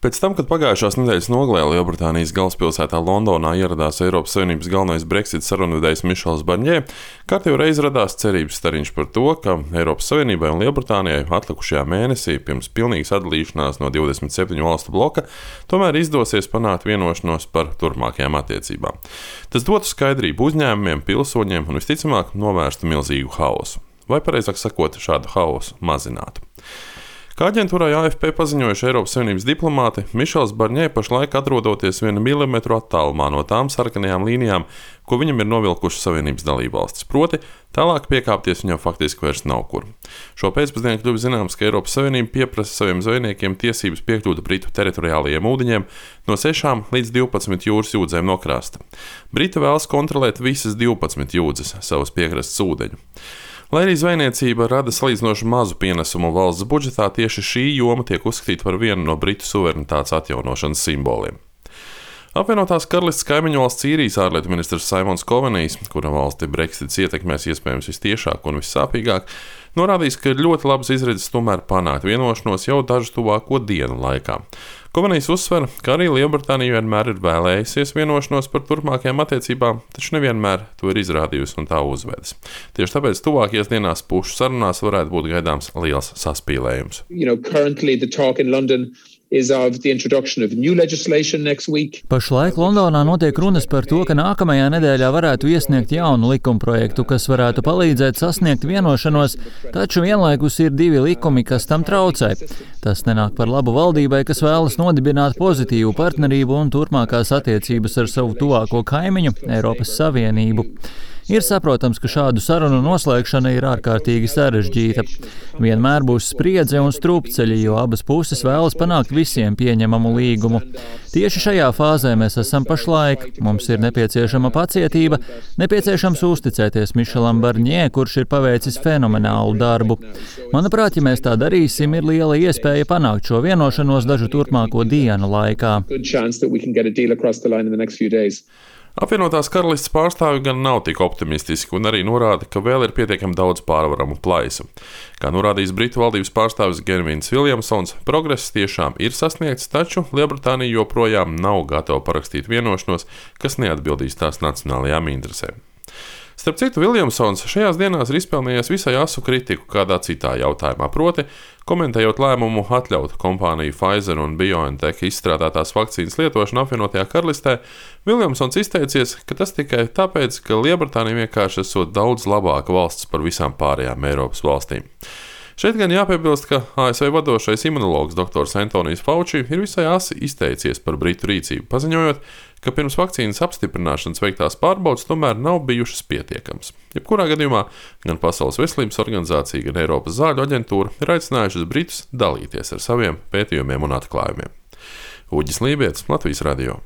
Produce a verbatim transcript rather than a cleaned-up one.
Pēc tam, kad pagājušās nedēļas nogalē Lielbritānijas galvaspilsētā Londonā ieradās Eiropas Savienības galvenais Brexit sarunvedējs Mišels Barņē, kārtējo reizi radās cerības stariņš par to, ka Eiropas Savienībai un Lielbritānijai atlikušajā mēnesī pirms pilnīgas atdalīšanās no divdesmit septiņu valstu bloka tomēr izdosies panākt vienošanos par turpmākajām attiecībām. Tas dotu skaidrību uzņēmumiem, pilsoņiem un visticamāk novērstu milzīgu haosu. Vai pareizāk sakot, šādu haosu mazinātu. Kā aģentūrai A F P paziņojuši Eiropas Savienības diplomāti, Mišels Barņē pašlaik atrodoties vienu milimetru attālumā no tām sarkanajām līnijām, ko viņam ir novilkušas Savienības dalībvalstis, proti tālāk piekāpties viņam faktiski vairs nav kur. Šo pēcpusdienu kļuva zināms, ka Eiropas Savienība pieprasa saviem zvejniekiem tiesības piekļūt Britu teritoriālajiem ūdeņiem no sešām līdz divpadsmit jūras jūdzēm no krasta. Briti vēlas kontrolēt visas divpadsmit jūdzes savas piekrastes ūdeņu. Lai arī zvejniecība rada salīdzinoši mazu pienesumu valsts budžetā, tieši šī joma tiek uzskatīta par vienu no Britu suverenitātes atjaunošanas simboliem. Apvienotās Karalistes kaimiņu valsts Īrijas ārlietu ministrs Simons Covenijs, kura valsti Brexits ietekmēs iespējams vistiešāk un vissāpīgāk, norādījis, ka ir ļoti labas izredzes tomēr panākt vienošanos jau dažu tuvāko dienu laikā. Covenijs uzsver, ka arī Lielbritānija vienmēr ir vēlējusies vienošanos par turpmākajām attiecībām, taču nevienmēr to ir izrādījusi un tā uzvedas. Tieši tāpēc tuvākajās dienās pušu sarunās varētu būt gaidāms liels saspīlējums. You know, currently the talk in London is of the introduction of new legislation next week. Pašlaik Londonā notiek runas par to, ka nākamajā nedēļā varētu iesniegt jaunu likumprojektu, kas varētu palīdzēt sasniegt vienošanos, taču vienlaikus ir divi likumi, kas tam traucē. Tas nenāk par labu valdībai, kas vēlas nodibināt pozitīvu partnerību un turpmākās attiecības ar savu tuvāko kaimiņu, Eiropas Savienību. Ir saprotams, ka šādu sarunu noslēgšana ir ārkārtīgi sarežģīta. Vienmēr būs spriedze un strupceļi, jo abas puses vēlas panākt visiem pieņemamu līgumu. Tieši šajā fāzē mēs esam pašlaik. Mums ir nepieciešama pacietība, nepieciešams uzticēties Mišelam Barņē, kurš ir paveicis fenomenālu darbu. Manuprāt, ja mēs tā darīsim, ir liela iespēja panākt šo vienošanos dažu turpmāko dienu laikā. Apvienotās Karalistes pārstāvji gan nav tik optimistiski un arī norāda, ka vēl ir pietiekami daudz pārvaramu plaisu. Kā norādījis Britu valdības pārstāvis Gavins Viljamsons, progress tiešām ir sasniegts, taču Lielbritānija joprojām nav gatava parakstīt vienošanos, kas neatbildīs tās nacionālajām interesēm. Starp citu, Viljamsons šajās dienās ir izpelnījies visai asu kritiku kādā citā jautājumā, proti, komentējot lēmumu atļaut kompāniju Pfizer un BioNTech izstrādātās vakcīnas lietošanu apvienotajā Karalistē, Viljamsons izteicies, ka tas tikai tāpēc, ka Lielbritānija vienkārši esot daudz labāka valsts par visām pārējām Eiropas valstīm. Šeit gan jāpiebilst, ka A S V vadošais imunologs doktors Antonijs Fauci ir visai asi izteicies par Britu rīcību, paziņojot, ka pirms vakcīnas apstiprināšanas veiktās pārbaudes tomēr nav bijušas pietiekamas. Jebkurā gadījumā gan Pasaules veselības organizācija, gan Eiropas zāļu aģentūra ir aicinājušas Britus dalīties ar saviem pētījumiem un atklājumiem. Uģis Lībietis, Latvijas radio.